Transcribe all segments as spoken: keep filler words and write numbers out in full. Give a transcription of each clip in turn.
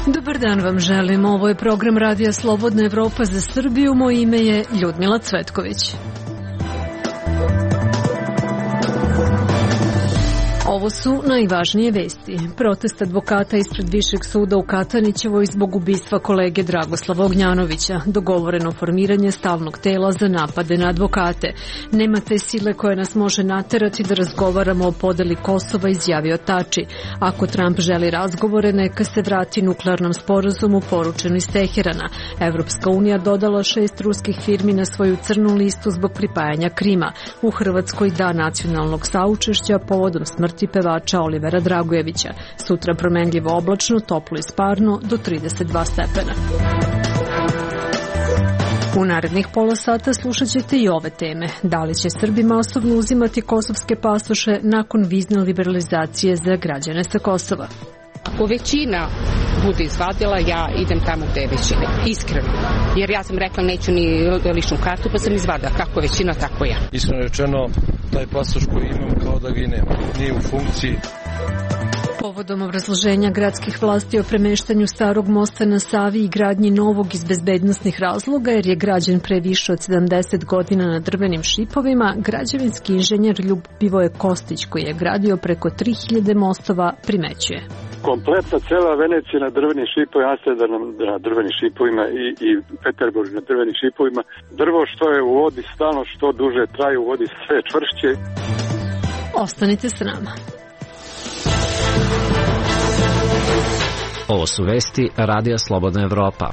Dobar dan vam želim. Ovo je program Radija Slobodna Evropa za Srbiju. Moje ime je Ljudmila Cvetković. Ovo su najvažnije vesti. Protest advokata ispred Višeg suda u Katanićevoj zbog ubistva kolege Dragoslava Ognjanovića. Dogovoreno formiranje stalnog tela za napade na advokate. Nema te sile koja nas može naterati da razgovaramo o podeli Kosova, izjavio Tači. Ako Trump želi razgovore, neka se vrati nuklearnom sporazumu poručeno iz Teherana. Evropska unija dodala šest ruskih firmi na svoju crnu listu zbog pripajanja Krima. U Hrvatskoj dan nacionalnog saučešća povodom smrti pevača Olivera Dragojevića. Sutra promenljivo oblačno, toplo i sparno do trideset dva stepena. U narednih pola sata slušat ćete i ove teme. Da li će Srbi masovno uzimati kosovske pasoše nakon vizne liberalizacije za građane sa Kosova? Ako većina bude izvadila, ja idem tamo gde je većina. Iskreno. Jer ja sam rekla neću ni ličnu kartu, pa sam izvadila. Kako većina, tako ja. Iskreno rečeno, taj pasoš koji imam kao da ga i nema. Nije u funkciji. Povodom obrazloženja gradskih vlasti o premeštanju starog mosta na Savi i gradnji novog iz bezbednosnih razloga, jer je građen pre više od sedamdeset godina na drvenim šipovima, građevinski inženjer Ljubivoje Kostić, koji je gradio preko tri hiljade mostova, primećuje. Kompletna cela Venecija na drvenim šipovima, Amsterdam na drvenim šipovima i, i Peterburg na drvenim šipovima. Drvo što je u vodi stalno, što duže traje u vodi, sve čvršće. Ostanite s nama. Ovo su vesti Radija Slobodna Evropa.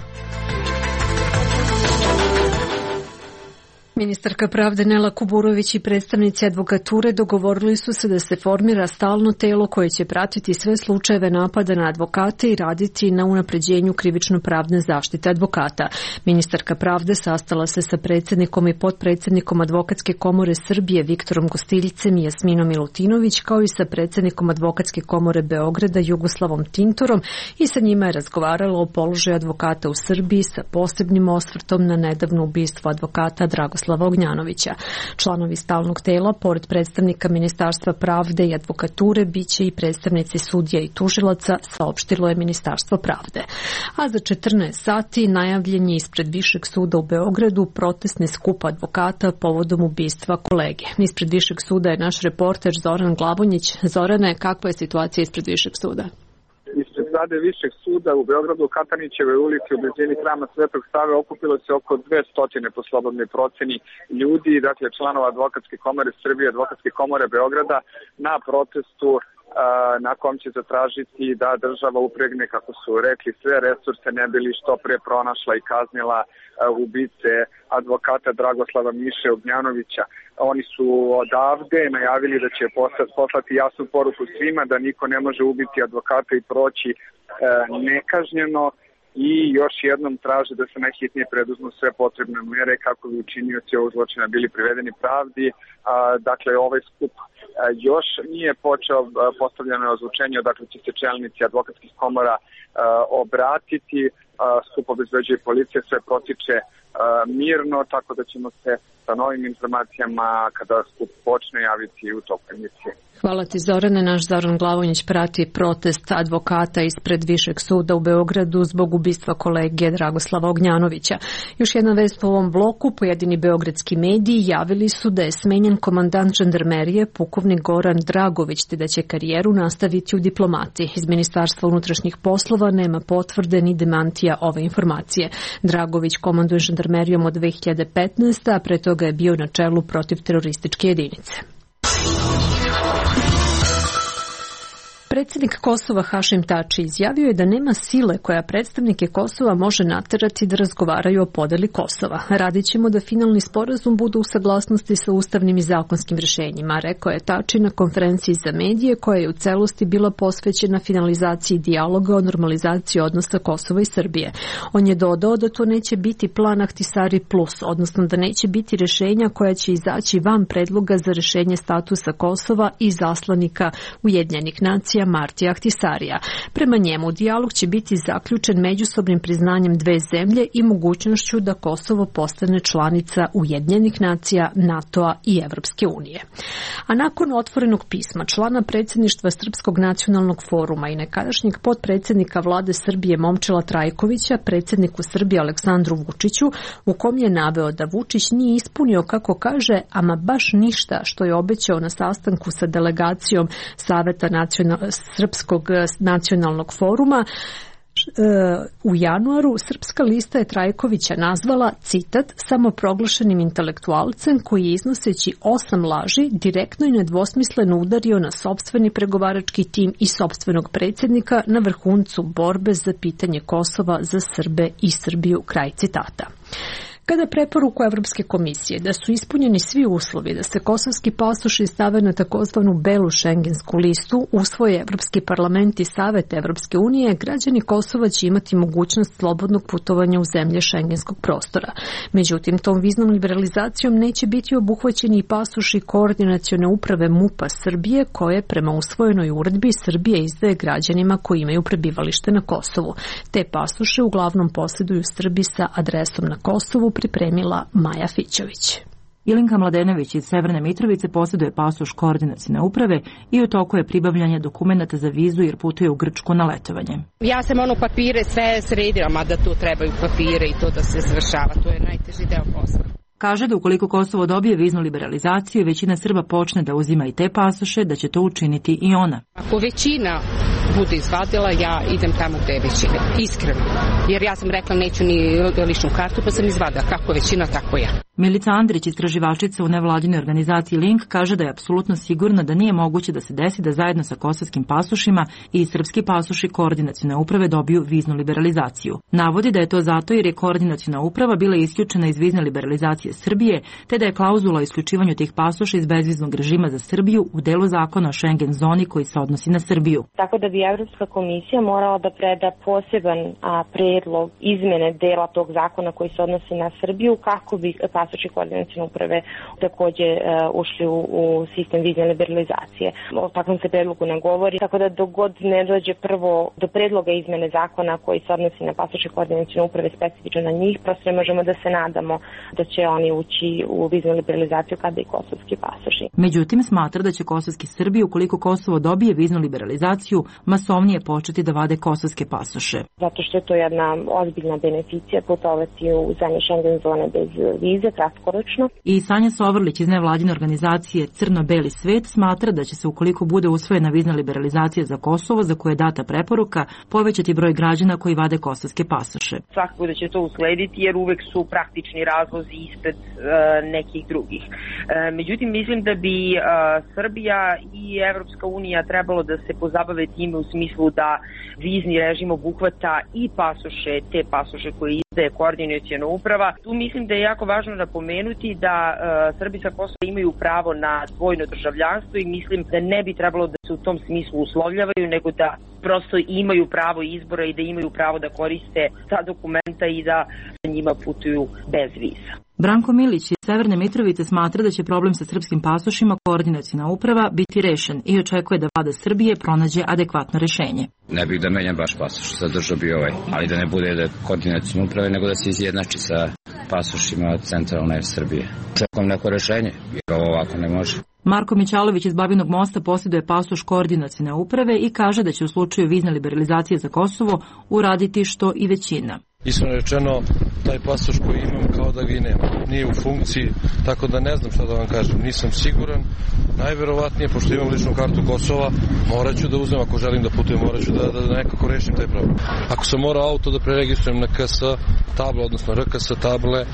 Ministarka pravde Nela Kuburović i predstavnici advokature dogovorili su se da se formira stalno telo koje će pratiti sve slučajeve napada na advokate i raditi na unapređenju krivično-pravne zaštite advokata. Ministarka pravde sastala se sa predsjednikom i potpredsjednikom Advokatske komore Srbije Viktorom Gostiljcem i Jasminom Milutinović, kao i sa predsjednikom Advokatske komore Beograda Jugoslavom Tintorom, i sa njima je razgovarala o položaju advokata u Srbiji sa posebnim osvrtom na nedavno ubistvo advokata Dragoslava Ognjanovića. Članovi stalnog tela, pored predstavnika Ministarstva pravde i advokature, biće i predstavnici sudija i tužilaca, saopštilo je Ministarstvo pravde. A za četrnaest sati najavljen je ispred Višeg suda u Beogradu protestni skup advokata povodom ubistva kolege. Ispred Višeg suda je naš reporter Zoran Glavonjić. Zorane, kakva je situacija ispred Višeg suda? Ispred zgrade Višeg suda u Beogradu, u Katanićevoj ulici u blizini hrama Svetog Save, okupilo se oko dvesta po slobodnoj proceni ljudi, dakle članova Advokatske komore Srbije, Advokatske komore Beograda, na protestu na kom će zatražiti da država upregne, kako su rekli, sve resurse ne bili što pre pronašla i kaznila ubice advokata Dragoslava Miše Ognjanovića. Oni su odavde najavili da će poslati jasnu poruku svima da niko ne može ubiti advokata i proći nekažnjeno, i još jednom traže da se najhitnije preduzmu sve potrebne mere kako bi učinioci ovog zločina bili privedeni pravdi. Dakle, ovaj skup još nije počeo, postavljeno je ozvučenje, dakle će se čelnici advokatskih komora obratiti. Skup obezbeđuje policija, sve protiče mirno, tako da ćemo se sa novim informacijama kada skup počne javiti u toku emisije. Hvala ti, Zorane. Naš Zoran Glavonjić prati protest advokata ispred Višeg suda u Beogradu zbog ubistva kolege Dragoslava Ognjanovića. Još jedna vest u ovom bloku. Pojedini beogradski mediji javili su da je smenjen komandant žandarmerije pukovnik Goran Dragović, te da će karijeru nastaviti u diplomatiji. Iz Ministarstva unutrašnjih poslova nema potvrde ni demantija ove informacije. Dragović komanduje žandarmerijom od dve hiljade petnaeste. a pre toga je bio na čelu protiv terorističke jedinice. Predsjednik Kosova Hašim Tači izjavio je da nema sile koja predstavnike Kosova može naterati da razgovaraju o podeli Kosova. Radit ćemo da finalni sporazum bude u saglasnosti sa ustavnim i zakonskim rješenjima, rekao je Tači na konferenciji za medije koja je u celosti bila posvećena finalizaciji dijaloga o normalizaciji odnosa Kosova i Srbije. On je dodao da to neće biti plan Ahtisari plus, odnosno da neće biti rješenja koja će izaći van predloga za rješenje statusa Kosova i zaslanika Ujedinjenih nacija Alija Martija Ahtisarija. Prema njemu, dijalog će biti zaključen međusobnim priznanjem dve zemlje i mogućnošću da Kosovo postane članica Ujedinjenih nacija, NATO-a i Evropske unije. A nakon otvorenog pisma člana predsjedništva Srpskog nacionalnog foruma i nekadašnjeg potpredsjednika vlade Srbije Momčila Trajkovića, predsjedniku Srbije Aleksandru Vučiću, u kom je naveo da Vučić nije ispunio, kako kaže, ama baš ništa što je obećao na sastanku sa delegacijom Saveta nacional, Srpskog nacionalnog foruma, u januaru Srpska lista je Trajkovića nazvala, citat, samoproglašenim intelektualcem koji je iznoseći osam laži direktno i nedvosmisleno udario na sopstveni pregovarački tim i sopstvenog predsjednika na vrhuncu borbe za pitanje Kosova za Srbe i Srbiju, kraj citata. Kada preporuku Evropske komisije da su ispunjeni svi uslovi da se kosovski pasoši stave na takozvanu belu šengensku listu, usvoje Evropski parlament i Savet Evropske unije, građani Kosova će imati mogućnost slobodnog putovanja u zemlje šengenskog prostora. Međutim, tom viznom liberalizacijom neće biti obuhvaćeni i pasoši koordinacione uprave MUP-a Srbije, koje prema usvojenoj uredbi Srbije izdaje građanima koji imaju prebivalište na Kosovu. Te pasoše uglavnom posjeduju Srbi sa adresom na Kosovu, pripremila Maja Fićović. Ilinka Mladenović iz Severne Mitrovice posjeduje pasoš koordinacione uprave i u toku je pribavljanje dokumenata za vizu jer putuje u Grčku na letovanje. Ja sam ono papire sve sredila, mada tu trebaju papire i to da se završava. To je najteži deo posla. Kaže da ukoliko Kosovo dobije viznu liberalizaciju, većina Srba počne da uzima i te pasoše, da će to učiniti i ona. Ako većina bude izvadila, ja idem tamo gde je većina. Iskreno. Jer ja sam rekla neću ni ličnu kartu, pa sam izvadila. Kako većina, tako ja. Milica Andrić, istraživačica u nevladinoj organizaciji Link, kaže da je apsolutno sigurna da nije moguće da se desi da zajedno sa kosovskim pasošima i srpski pasoši koordinacione uprave dobiju viznu liberalizaciju. Navodi da je to zato jer je koordinaciona uprava bila isključena iz vizne liberalizacije Srbije, te da je klauzula o isključivanju tih pasoša iz bezviznog režima za Srbiju u delu zakona o Schengen zoni koji se odnosi na Srbiju. Tako da bi Evropska komisija morala da preda poseban a, predlog izmene dela tog zakona koji se odnosi na Srbiju, kako bi pasoši koordinacione uprave takođe uh, ušli u, u sistem vizne liberalizacije. O takvom se predlogu ne govori, tako da dok god ne dođe prvo do predloga izmene zakona koji se odnosi na pasoše koordinacione uprave specifično na njih, prosto ne možemo da se nadamo da će oni ući u viznu liberalizaciju kada i kosovski pasoši. Međutim, smatra da će kosovski Srbi, ukoliko Kosovo dobije viznu liberalizaciju, masovnije početi da vade kosovske pasoše. Zato što je to jedna ozbiljna beneficija putovati u zemlje Schengen zone bez vize, kratkoročno. I Sanja Sovrlić iz nevladine organizacije Crno-Beli svet smatra da će se, ukoliko bude usvojena vizna liberalizacija za Kosovo, za koje je data preporuka, povećati broj građana koji vade kosovske pasoše. Svakako da će to uslediti jer uvek su praktični razlozi ispred uh, nekih drugih. Uh, međutim, mislim da bi uh, Srbija i Evropska unija trebalo da se pozabave time u smislu da vizni režim obuhvata i pasoše, te pasoše koje izdaje koordinaciona uprava. Tu mislim da je jako važno napomenuti da uh, Srbi sa Kosova imaju pravo na dvojno državljanstvo i mislim da ne bi trebalo da se u tom smislu uslovljavaju, nego da prosto imaju pravo izbora i da imaju pravo da koriste ta dokumenta i da njima putuju bez viza. Branko Milić iz Severne Mitrovice smatra da će problem sa srpskim pasošima koordinaciona uprava biti rešen i očekuje da vlada Srbije pronađe adekvatno rešenje. Ne bih da menjam baš pasoš, zadržao bi ovaj, ali da ne bude da koordinaciona uprave, nego da se izjednači sa pasošima centralne Srbije. Čekam neko rešenje, jer ovo ovako ne može. Marko Mićalović iz Babinog Mosta posjeduje pasoš koordinacione uprave i kaže da će u slučaju vizne liberalizacije za Kosovo uraditi što i većina. Iskreno rečeno, taj pasoš koji imam kao da ga i nema. Nije u funkciji, tako da ne znam šta da vam kažem. Nisam siguran. Najverovatnije, pošto imam ličnu kartu Kosova, morat ću da uzmem, ako želim da putujem, morat ću da, da, da nekako rešim taj problem. Ako sam morao auto da preregistrujem na K S table, odnosno R K S table,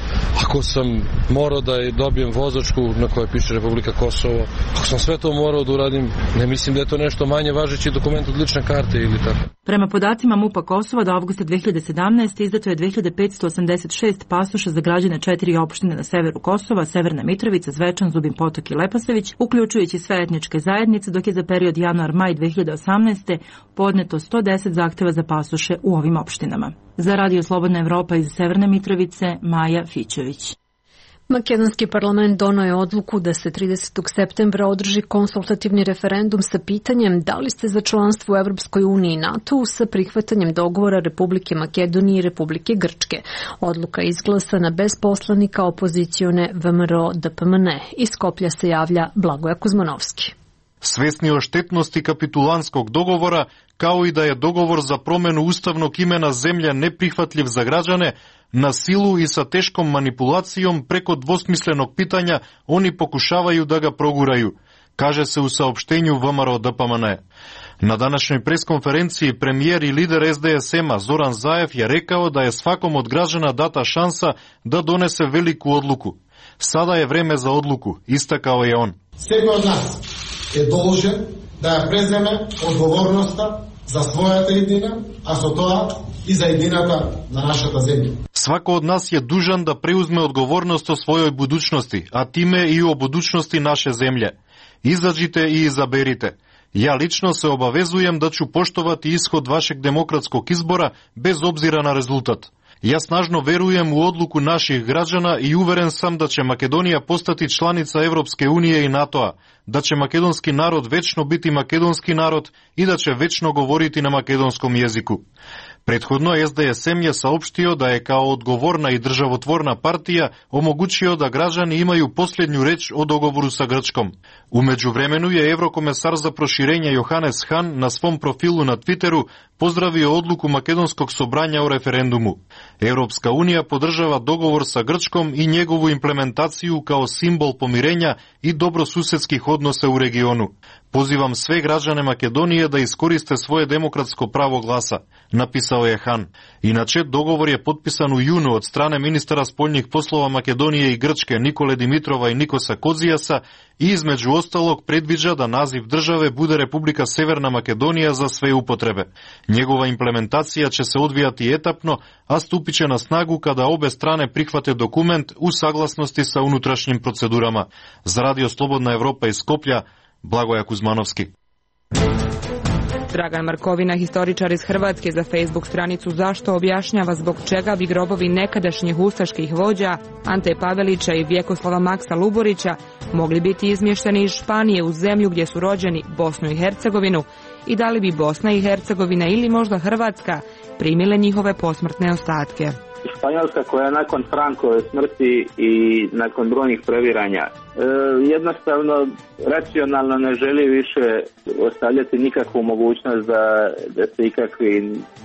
ako sam morao da dobijem vozačku na kojoj piše Republika Kosovo, ako sam sve to morao da uradim, ne mislim da je to nešto manje važeći dokument od lične karte ili tako. Prema podacima MUP-a Kosova do avgusta dve hiljade sedamnaeste. izdato je dve hiljade petsto osamdeset šest pasoša za građane četiri opštine na severu Kosova, Severna Mitrovica, Zvečan, Zubin Potok i Leposavić, uključujući sve etničke zajednice, dok je za period januar-maj dve hiljade osamnaeste. podneto sto deset zahteva za pasoše u ovim opštinama. Za Radio Slobodna Evropa iz Severne Mitrovice, Maja Fićović. Makedonski parlament doneo je odluku da se tridesetog septembra održi konsultativni referendum sa pitanjem da li ste za članstvo u Evropskoj uniji i NATO-u sa prihvatanjem dogovora Republike Makedonije i Republike Grčke. Odluka je izglasana bez poslanika opozicione V M R O D P M N. Iz Skoplja se javlja Blagoja Kuzmanovski. Svesni o štetnosti kapitulanskog dogovora, kao i da je dogovor za promenu ustavnog imena zemlje neprihvatljiv za građane, na silu i sa teškom manipulacijom preko dvosmislenog pitanja oni pokušavaju da ga proguraju, kaže se u saopštenju V M R O D P M N. Na današnjoj preskonferenciji premijer i lider S D S M-a Zoran Zaev je rekao da je svakom od građana data šansa da donese veliku odluku. Sada je vreme za odluku, istakao je on. Всеки од нас е должен да ја преземе одговорноста за својата иднина, а со тоа и за иднината на нашата земја. Свако од нас е дужан да преузме одговорност о својој будучности, а тиме и о будучности наше земје. Изаđite и изаберите. Ја лично се обавезуjem да ću поштовати исход вашег демократскog избора без обзира на резултат. Ја снажно веруjem у одлуку наших граđana и уверен сам да ќе Македонија постати чланица Европске унije и НАТО-а, да ќе македонски народ вечно бити македонски народ и да ќе вечно говорити на македонском језику. Предходно С Д С М ја саопштио да е као одговорна и државотворна партија омогучио да граđани имају последњу реч о договору са Грчком. У меѓувремену е еврокомесар за проширење Јоханес Хан на свом профилу на Твитеру поздравио одлуку Македонскog собрања о референдуму. Европска унија подржава договор са Грчком и негову имплементацију као символ помирења и добросуседских односа у региону. Позивам све граđane Македонија да искористе своје демократско право гласа, написал е Хан. Иначе договор е подписан у јуну од стране министара спољних послова Македонија и Грчке Николе Димитрова и Никоса Козијаса и измеѓу осталог предвиđа да назив државе буде Република Северна Македонија за све употребе. Njegova implementacija će se odvijati etapno, a stupiće na snagu kada obe strane prihvate dokument u saglasnosti sa unutrašnjim procedurama. Za Radio Slobodna Evropa iz Skoplja, Blagoja Kuzmanovski. Dragan Markovina, historičar iz Hrvatske, za Facebook stranicu Zašto objašnjava zbog čega bi grobovi nekadašnjih ustaških vođa Ante Pavelića i Vjekoslava Maksa Luborića mogli biti izmješteni iz Španije u zemlju gdje su rođeni, Bosnu i Hercegovinu, i da li bi Bosna i Hercegovina ili možda Hrvatska primile njihove posmrtne ostatke. Španjolska, koja nakon Frankove smrti i nakon brojnih previranja e, jednostavno racionalno ne želi više ostavljati nikakvu mogućnost da, da se ikakvi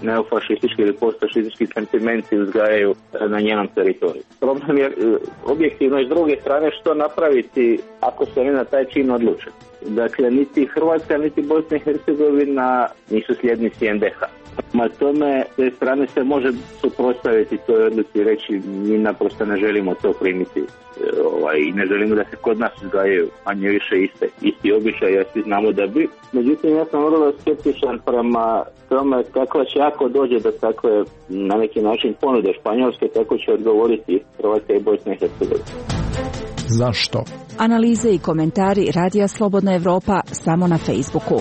neofašistički ili postfašistički sentimenti uzgajaju na njenom teritoriju. Problem je objektivno iz druge strane što napraviti ako se oni na taj čin odluče. Dakle, niti Hrvatska, niti Bosna i Hercegovina nisu sljednici N D H. Ma tome, s te strane se može suprotstaviti toj odluci i reći mi naprosto ne želimo to primiti ovaj, i ne želimo da se kod nas uzgajaju manje više iste, isti običaj, ja svi znamo da bi. Međutim, ja sam vrlo skeptičan prema tome kako će ako dođe do takve na neki način ponude Španjolske, kako će odgovoriti Hrvatska i Bosna i Hercegovina. Zašto? Analize i komentari Radija Slobodna Evropa samo na Facebooku.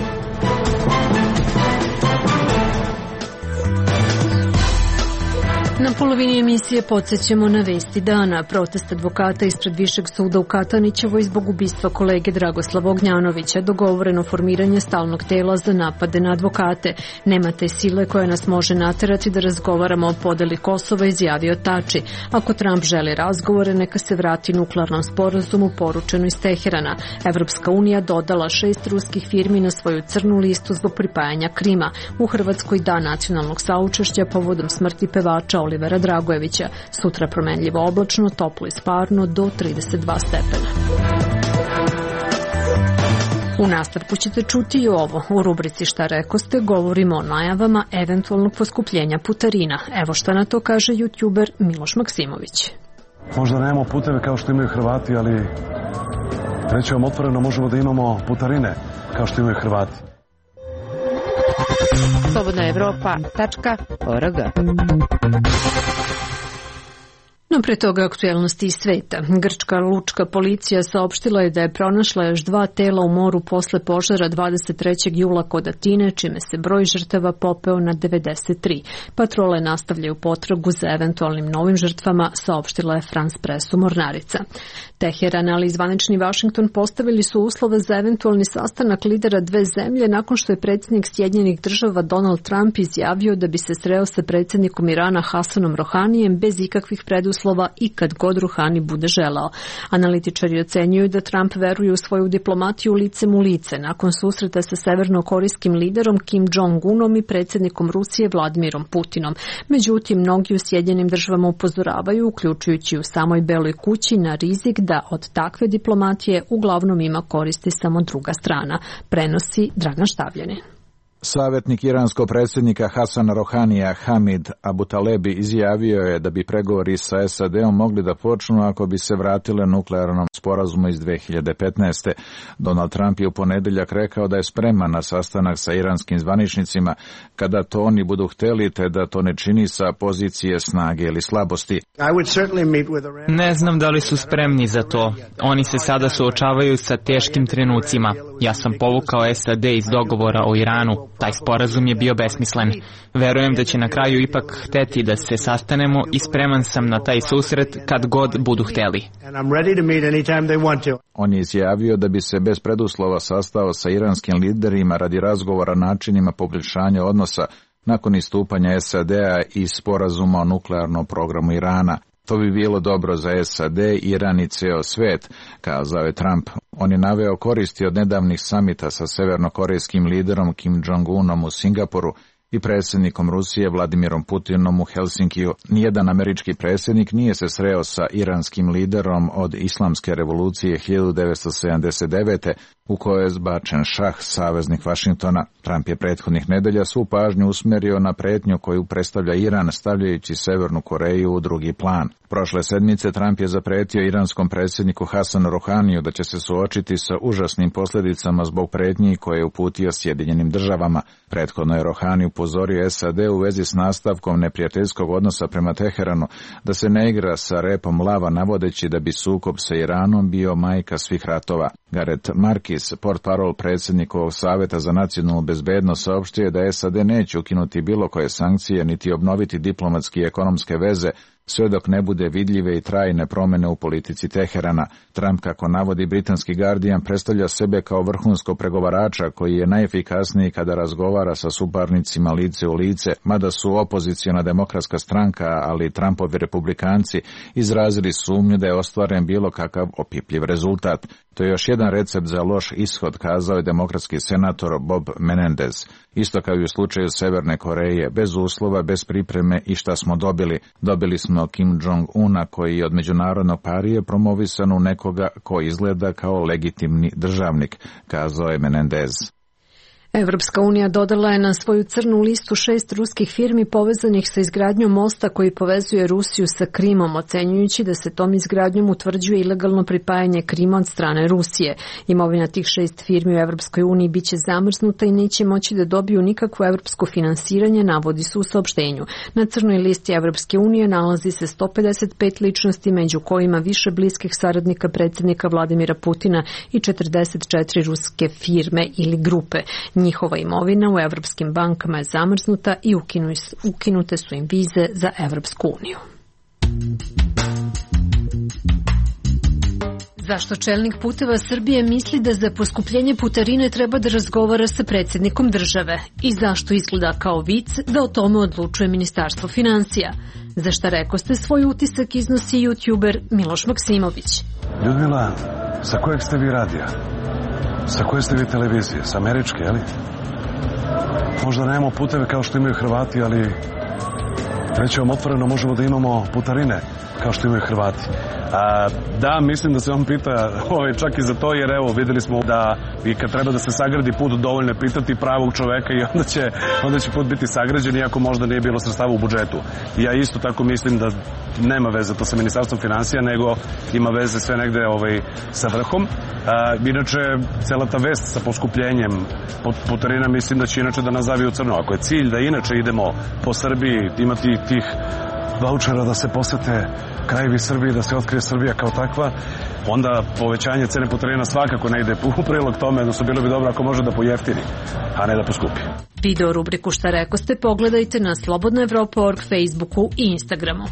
Na polovini emisije podsjećamo na vesti dana. Protest advokata ispred Višeg suda u Katanićevoj zbog ubistva kolege Dragoslava Ognjanovića. Dogovoreno formiranje stalnog tela za napade na advokate. Nema te sile koja nas može naterati da razgovaramo o podeli Kosova, izjavio Tači. Ako Trump želi razgovore, neka se vrati nuklearnom sporazumu poručeno iz Teherana. Evropska unija dodala šest ruskih firmi na svoju crnu listu zbog pripajanja Krima. U Hrvatskoj dan nacionalnog saučešća povodom smrti pevača Olivera Dragojevića. Sutra promenljivo oblačno, toplo i sparno do trideset dva stepena. U nastavku ćete čuti i ovo. U rubrici Šta rekoste govorimo o najavama eventualnog poskupljenja putarina. Evo šta na to kaže youtuber Miloš Maksimović. Možda nemamo puteve kao što imaju Hrvati, ali reći vam otvoreno, možemo da imamo putarine kao što imaju Hrvati. slobodna evropa tačka org No pre toga aktuelnosti iz sveta. Grčka lučka policija saopštila je da je pronašla još dva tela u moru posle požara dvadeset trećeg jula kod Atine, čime se broj žrtava popeo na devedeset tri. Patrole nastavljaju potragu za eventualnim novim žrtvama, saopštila je France Pressu mornarica. Teheran, ali i zvanični Vašington postavili su uslove za eventualni sastanak lidera dve zemlje nakon što je predsjednik Sjedinjenih država Donald Trump izjavio da bi se sreo sa predsjednikom Irana Hasanom Rohanijem bez ikakvih preduslova i kad god Rohani bude želao. Analitičari ocenjuju da Trump veruje u svoju diplomatiju licem u lice nakon susreta sa severnokorejskim liderom Kim Jong-unom i predsjednikom Rusije Vladimirom Putinom. Međutim, mnogi u Sjedinjenim državama upozoravaju, uključujući u samoj Beloj kući, na rizik da od takve diplomatije uglavnom ima koristi samo druga strana, prenosi Dragan Štavljanin. Savjetnik iranskog predsjednika Hasana Rohanija Hamid Abutalebi izjavio je da bi pregovori sa S A D-om mogli da počnu ako bi se vratile nuklearnom sporazumu iz dve hiljade petnaeste. Donald Trump je u ponedeljak rekao da je spreman na sastanak sa iranskim zvaničnicima kada to oni budu hteli, te da to ne čini sa pozicije snage ili slabosti. Ne znam da li su spremni za to. Oni se sada suočavaju sa teškim trenucima. Ja sam povukao S A D iz dogovora o Iranu. Taj sporazum je bio besmislen. Verujem da će na kraju ipak hteti da se sastanemo i spreman sam na taj susret kad god budu hteli. On je izjavio da bi se bez preduslova sastao sa iranskim liderima radi razgovora načinima poboljšanja odnosa nakon istupanja S A D-a iz sporazuma o nuklearnom programu Irana. To bi bilo dobro za S A D, Iran i ceo svet, kazao je Trump. On je naveo koristi od nedavnih samita sa severnokorejskim liderom Kim Jong-unom u Singapuru i predsjednikom Rusije Vladimirom Putinom u Helsinkiju. Nijedan američki predsjednik nije se sreo sa iranskim liderom od islamske revolucije hiljadu devetsto sedamdeset devete. u kojoj je zbačen šah, saveznik Vašingtona. Trump je prethodnih nedelja svu pažnju usmjerio na pretnju koju predstavlja Iran, stavljajući Severnu Koreju u drugi plan. Prošle sedmice Trump je zapretio iranskom predsjedniku Hasanu Rohaniju da će se suočiti sa užasnim posljedicama zbog pretnji koje je uputio Sjedinjenim državama. Prethodno je Rohani upozorio S A D u vezi s nastavkom neprijateljskog odnosa prema Teheranu da se ne igra sa repom lava, navodeći da bi sukob sa Iranom bio majka svih ratova. Gareth Markis, portparol predsjednikovog Saveta za nacionalnu bezbednost, saopštio je da S A D neće ukinuti bilo koje sankcije niti obnoviti diplomatske i ekonomske veze sve dok ne bude vidljive i trajne promjene u politici Teherana. Trump, kako navodi britanski Guardian, predstavlja sebe kao vrhunskog pregovarača koji je najefikasniji kada razgovara sa suparnicima lice u lice, mada su opoziciona demokratska stranka, ali i Trumpovi republikanci izrazili sumnju da je ostvaren bilo kakav opipljiv rezultat. To je još jedan recept za loš ishod, kazao je demokratski senator Bob Menendez. Isto kao i u slučaju Severne Koreje, bez uslova, bez pripreme i šta smo dobili? Dobili smo Kim Jong-una koji je od međunarodnog parije promovisan u nekoga ko izgleda kao legitimni državnik, kazao je Menendez. Evropska unija dodala je na svoju crnu listu šest ruskih firmi povezanih sa izgradnjom mosta koji povezuje Rusiju sa Krimom, ocenjujući da se tom izgradnjom utvrđuje ilegalno pripajanje Krima od strane Rusije. Imovina tih šest firmi u Evropskoj uniji biće zamrznuta i neće moći da dobiju nikakvo evropsko finansiranje, navodi se u saopštenju. Na crnoj listi Evropske unije nalazi se sto pedeset pet ličnosti, među kojima više bliskih saradnika predsjednika Vladimira Putina i četrdeset četiri ruske firme ili grupe. Njihova imovina u evropskim bankama je zamrznuta i ukinute su im vize za Evropsku uniju. Zašto čelnik Puteva Srbije misli da za poskupljenje putarine treba da razgovara sa predsjednikom države? I zašto izgleda kao vic da o tome odlučuje Ministarstvo finansija? Za šta rekoste svoj utisak iznosi youtuber Miloš Maksimović. Ljudmila, sa kojeg ste vi radija? Sa koje ste vi televizije? Sa američke, jeli? Možda nemamo puteve kao što imaju Hrvati, ali reći vam otvoreno, možemo da imamo putarine kao što imaju Hrvati. A, da, mislim da se on pita ovaj, čak i za to, jer evo, videli smo da i kad treba da se sagradi put, dovoljno je pitati pravog čoveka i onda će, onda će put biti sagrađen, iako možda nije bilo sredstava u budžetu. I ja isto tako mislim da nema veze to sa Ministarstvom finansija, nego ima veze sve negde ovaj, sa vrhom. A, inače, cela ta vest sa poskupljenjem putarina mislim da će inače da nas zavi u crno. Ako je cilj da inače idemo po Srbiji, imati tih vaučera da se posete krajevi Srbije, da se otkrije Srbija kao takva, onda povećanje cene putarina svakako ne ide u prilog tome, odnosno bilo bi dobro ako može da pojeftini, a ne da poskupi. Video rubriku Šta rekoste pogledajte na slobodna evropa tačka org, Facebooku i Instagramu.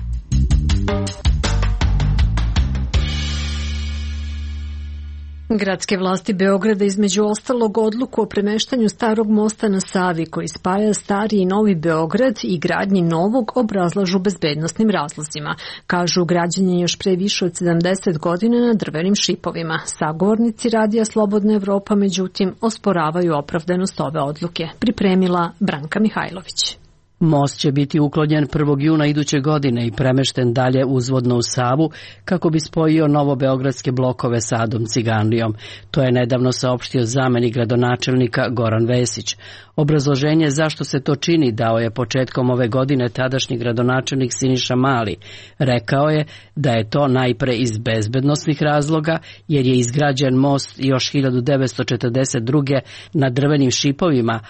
Gradske vlasti Beograda između ostalog odluku o premeštanju starog mosta na Savi koji spaja stari i novi Beograd i gradnji novog obrazlažu bezbednosnim razlozima. Kažu građenje još pre više od sedamdeset godina na drvenim šipovima. Sagovornici Radija Slobodna Evropa međutim osporavaju opravdanost ove odluke. Pripremila Branka Mihajlović. Most će biti uklonjen prvog juna iduće godine i premešten dalje uzvodno u Savu kako bi spojio novobeogradske blokove sa Adom Ciganlijom. To je nedavno saopštio zamenik gradonačelnika Goran Vesić. Obrazloženje zašto se to čini dao je početkom ove godine tadašnji gradonačelnik Siniša Mali. Rekao je da je to najpre iz bezbednosnih razloga jer je izgrađen most još hiljadu devetsto četrdeset druge na drvenim šipovima,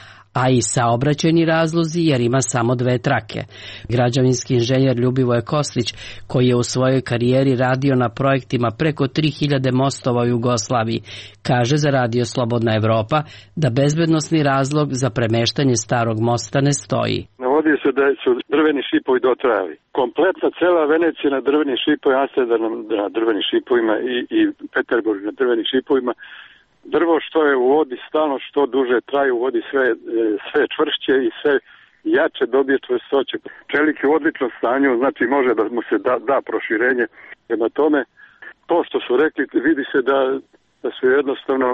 a i saobraćajni razlozi jer ima samo dve trake. Građevinski inženjer Ljubivoje Kostić, koji je u svojoj karijeri radio na projektima preko tri hiljade mostova u Jugoslaviji, kaže za Radio Slobodna Evropa da bezbednosni razlog za premeštanje starog mosta ne stoji. Navodi se da su drveni šipovi dotrajali. Kompletna cela Venecija na drvenim šipovima, Amsterdam na drvenim šipovima i, i Peterburg na drvenim šipovima. Drvo što je u vodi stalno što duže traje u vodi sve, sve čvršće i sve jače dobije čvrstoće. Čelik je u odličnom stanju, znači može da mu se da, da proširenje. Prema tome, to što su rekli, vidi se da, da su jednostavno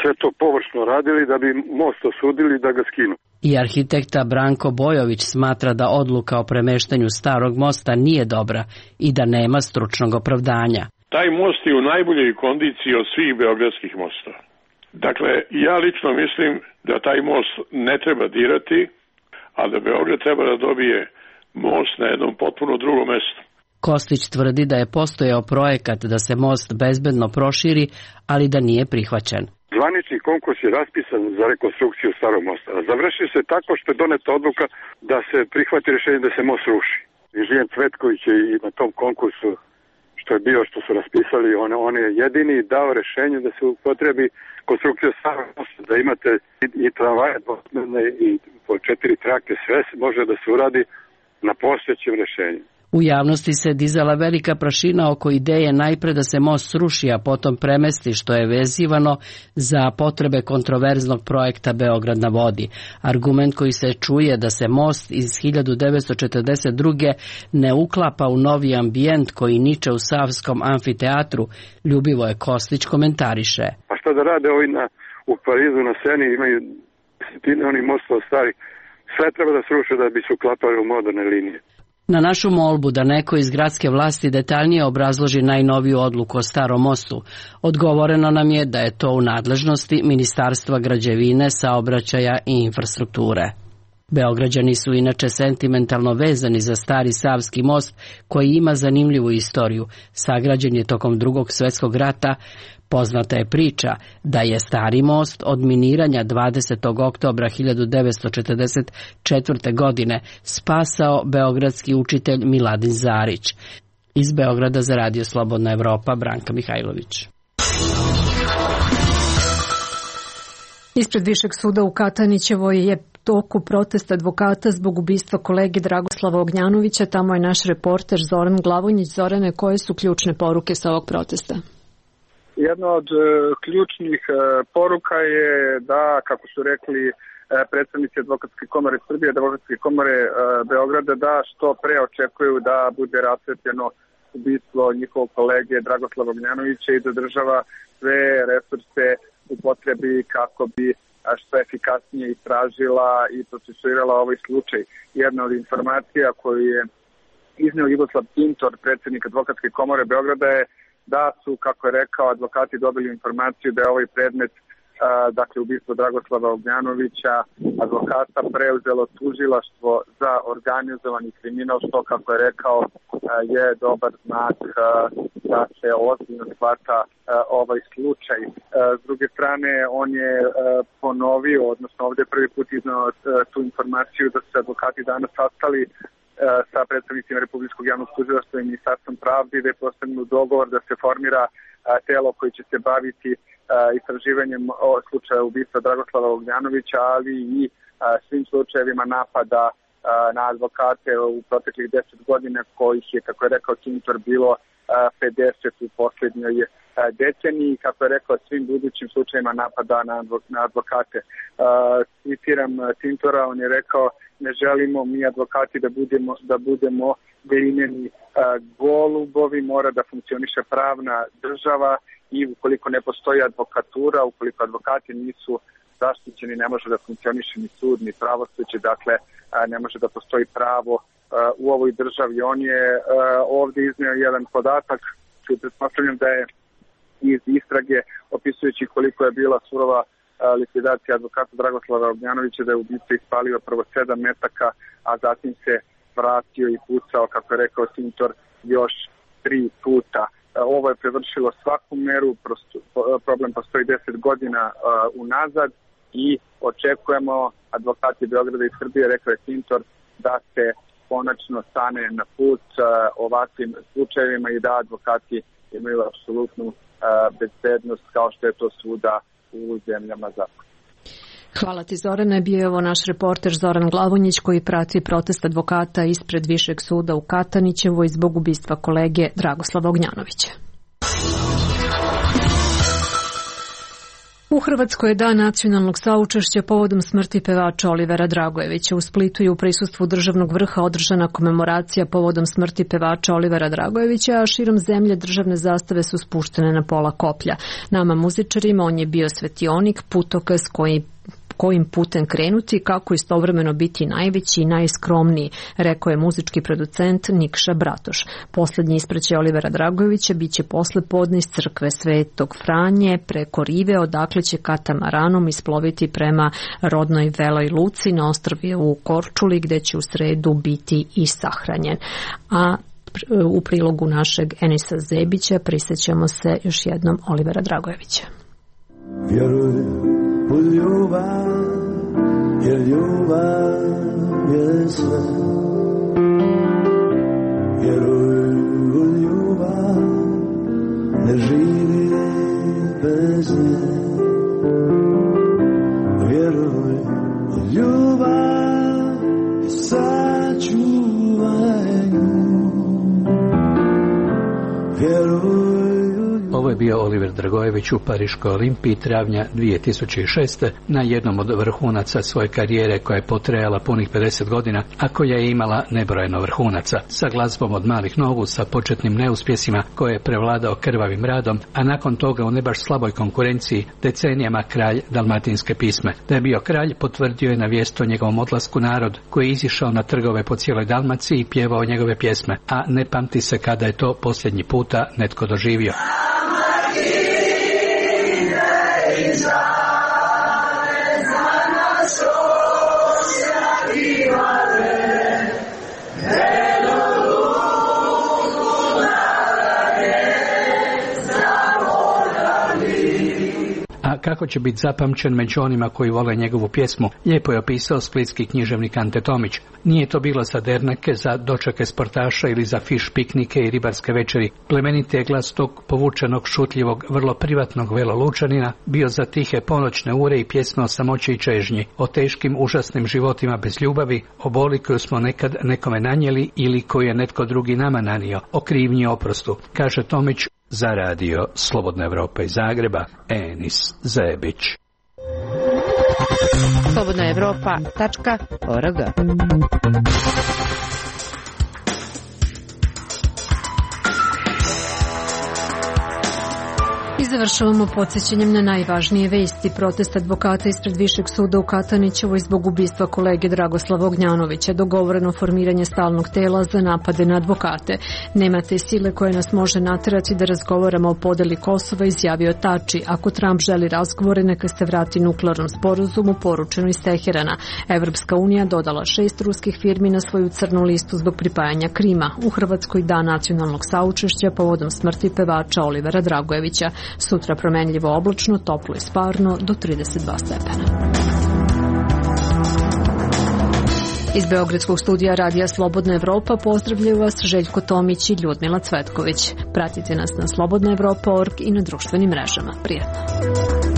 sve to površno radili da bi most osudili da ga skinu. I arhitekta Branko Bojović smatra da odluka o premeštanju starog mosta nije dobra i da nema stručnog opravdanja. Taj most je u najboljoj kondiciji od svih beogradskih mostova. Dakle, ja lično mislim da taj most ne treba dirati, a da Beograd treba da dobije most na jednom potpuno drugom mestu. Kostić tvrdi da je postojao projekat da se most bezbedno proširi, ali da nije prihvaćen. Zvanični konkurs je raspisan za rekonstrukciju starog mosta. Završi se tako što je doneta odluka da se prihvati rješenje da se most ruši. Inženjer Cvetković je i na tom konkursu što je bio, što su raspisali, on, on je jedini dao rješenje da se upotrebi konstrukcija starog mosta, da imate i, i tramvaje dvosmerne i po četiri trake, sve može da se uradi na postojećem rješenju. U javnosti se dizala velika prašina oko ideje najpre da se most sruši, a potom premesti, što je vezivano za potrebe kontroverznog projekta Beograd na vodi. Argument koji se čuje da se most iz hiljadu devetsto četrdeset druge ne uklapa u novi ambijent koji niče u Savskom amfiteatru, Ljubivoje Kostić komentariše. A šta da rade ovi na, u Parizu na Seni, imaju desetine onih mostova stari, sve treba da sruše da bi se uklapali u moderne linije. Na našu molbu da neko iz gradske vlasti detaljnije obrazloži najnoviju odluku o starom mostu, odgovoreno nam je da je to u nadležnosti Ministarstva građevine, saobraćaja i infrastrukture. Beograđani su inače sentimentalno vezani za stari Savski most koji ima zanimljivu istoriju. Sagrađen je tokom Drugog svjetskog rata. Poznata je priča da je stari most od miniranja dvadesetog oktobra hiljadu devetsto četrdeset četvrte. godine spasao beogradski učitelj Miladin Zarić. Iz Beograda za Radio Slobodna Evropa, Branka Mihajlović. Ispred Višeg suda u Katanićevoj je toku protesta advokata zbog ubistva kolege Dragoslava Ognjanovića. Tamo je naš reporter Zoran Glavonjić. Zorane, koje su ključne poruke sa ovog protesta? Jedna od e, ključnih e, poruka je da, kako su rekli e, predstavnici Advokatske komore Srbije, Advokatske komore e, Beograda, da što pre očekuju da bude rasvetljeno ubistvo njihovog kolege Dragoslava Ognjanovića i da država sve resurse upotrebi kako bi što efikasnije istražila i procesuirala ovaj slučaj. Jedna od informacija koju je izneo Jugoslav Pintor, predsjednik Advokatske komore Beograda, je da su, kako je rekao, advokati dobili informaciju da je ovaj predmet, a, dakle ubistvo Dragoslava Ognjanovića, advokata preuzelo tužilaštvo za organizovani kriminal, što, kako je rekao, a, je dobar znak a, da se ozbiljno shvata a, ovaj slučaj. A, s druge strane, on je a, ponovio, odnosno ovdje prvi put iznao tu informaciju da su se advokati danas sastali sa predstavnicima Republičkog javnog tužilaštva i Ministarstvom pravde da je postignut dogovor da se formira telo koji će se baviti istraživanjem slučaja ubistva Dragoslava Ognjanovića, ali i svim slučajevima napada na advokate u proteklih deset godina, kojih je, kako je rekao Tintor, bilo pedeset u posljednjoj deceniji, kako je rekao, svim budućim slučajima napada na advokate. Citiram Tintora, on je rekao: ne želimo mi advokati da budemo, da budemo glineni golubovi, mora da funkcioniše pravna država i ukoliko ne postoji advokatura, ukoliko advokati nisu zaštićeni, ne može da funkcioniše ni sud, ni pravosuđe, dakle ne može da postoji pravo u ovoj državi. On je ovdje iznio jedan podatak koji pretpostavljam da je iz istrage, opisujući koliko je bila surova likvidacija advokata Dragoslava Ognjanovića, da je ubica ispalio prvo sedam metaka, a zatim se vratio i pucao, kako je rekao Tintor, još tri puta. Ovo je prevršilo svaku meru, problem postoji deset godina unazad i očekujemo, advokati Beograda i Srbije, rekao je Tintor, da se konačno stane na put ovakvim slučajevima i da advokati imaju apsolutnu bezbednost kao što je to svuda u zemljama zapada. Hvala ti, Zorane. Bio je ovo naš reporter Zoran Glavonjić koji prati protest advokata ispred Višeg suda u Katanićevoj zbog ubistva kolege Dragoslava Ognjanovića. U Hrvatskoj je dan nacionalnog saučešća povodom smrti pevača Olivera Dragojevića. U Splitu je u prisustvu državnog vrha održana komemoracija povodom smrti pevača Olivera Dragojevića, a širom zemlje državne zastave su spuštene na pola koplja. Nama muzičarima on je bio svetionik, putokaz koji kojim putem krenuti, kako istovremeno biti najveći i najskromniji, rekao je muzički producent Nikša Bratoš. Posljednji ispraćaj Olivera Dragojevića biće posle podne iz crkve Svetog Franje preko rive, odakle će katamaranom isploviti prema rodnoj Veloj Luci na ostrvje u Korčuli, gde će u sredu biti i sahranjen. A u prilogu našeg Enisa Zebića prisjećamo se još jednom Olivera Dragojevića. Vjeruj u ljubav, jer ljubav je sve. Vjeruj u ljubav, ne živi bez nje. Vjeruj u ljubav i sačuvaj nju. Vjeruj. Ovo je bio Oliver Dragojević u Pariškoj Olimpiji travnja dvije tisuće šeste na jednom od vrhunaca svoje karijere koja je potrajala punih pedeset godina, a koja je imala nebrojeno vrhunaca. Sa glazbom od malih nogu, sa početnim neuspjesima koje je prevladao krvavim radom, a nakon toga u ne baš slaboj konkurenciji decenijama kralj dalmatinske pisme. Da je bio kralj potvrdio je na vijest o njegovom odlasku narod koji je izišao na trgove po cijeloj Dalmaciji i pjevao njegove pjesme, a ne pamti se kada je to posljednji puta netko doživio. A kako će biti zapamćen među onima koji vole njegovu pjesmu, lijepo je opisao splitski književnik Ante Tomić. Nije to bilo za derneke, za dočake sportaša ili za fiš piknike i ribarske večeri. Plemeniti je glas tog povučenog, šutljivog, vrlo privatnog velolučanina bio za tihe ponoćne ure i pjesme o samoći i čežnji, o teškim, užasnim životima bez ljubavi, o boli koju smo nekad nekome nanijeli ili koju je netko drugi nama nanio, o krivnji i oprostu, kaže Tomić za radio Slobodna Evropa iz Zagreba, Enis Zebić. slobodna evropa tačka org. I završavamo podsjećanjem na najvažnije vesti. Protest advokata ispred Višeg suda u Katanićevoj zbog ubistva kolege Dragoslava Ognjanovića. Dogovoreno formiranje stalnog tela za napade na advokate. Nema te sile koje nas može naterati da razgovaramo o podeli Kosova, izjavio Tači. Ako Trump želi razgovore, neka se vrati nuklearnom sporazumu, poručeno iz Teherana. Evropska unija dodala šest ruskih firmi na svoju crnu listu zbog pripajanja Krima. U Hrvatskoj dan nacionalnog saučešća povodom smrti pevača Olivera Dragojevića. Sutra promenljivo oblačno, toplo i sparno do trideset dva stepena. Iz Beogradskog studija Radija Slobodna Evropa pozdravljaju vas Željko Tomić i Ljudmila Cvetković. Pratite nas na slobodna evropa tačka org i na društvenim mrežama. Prijatno.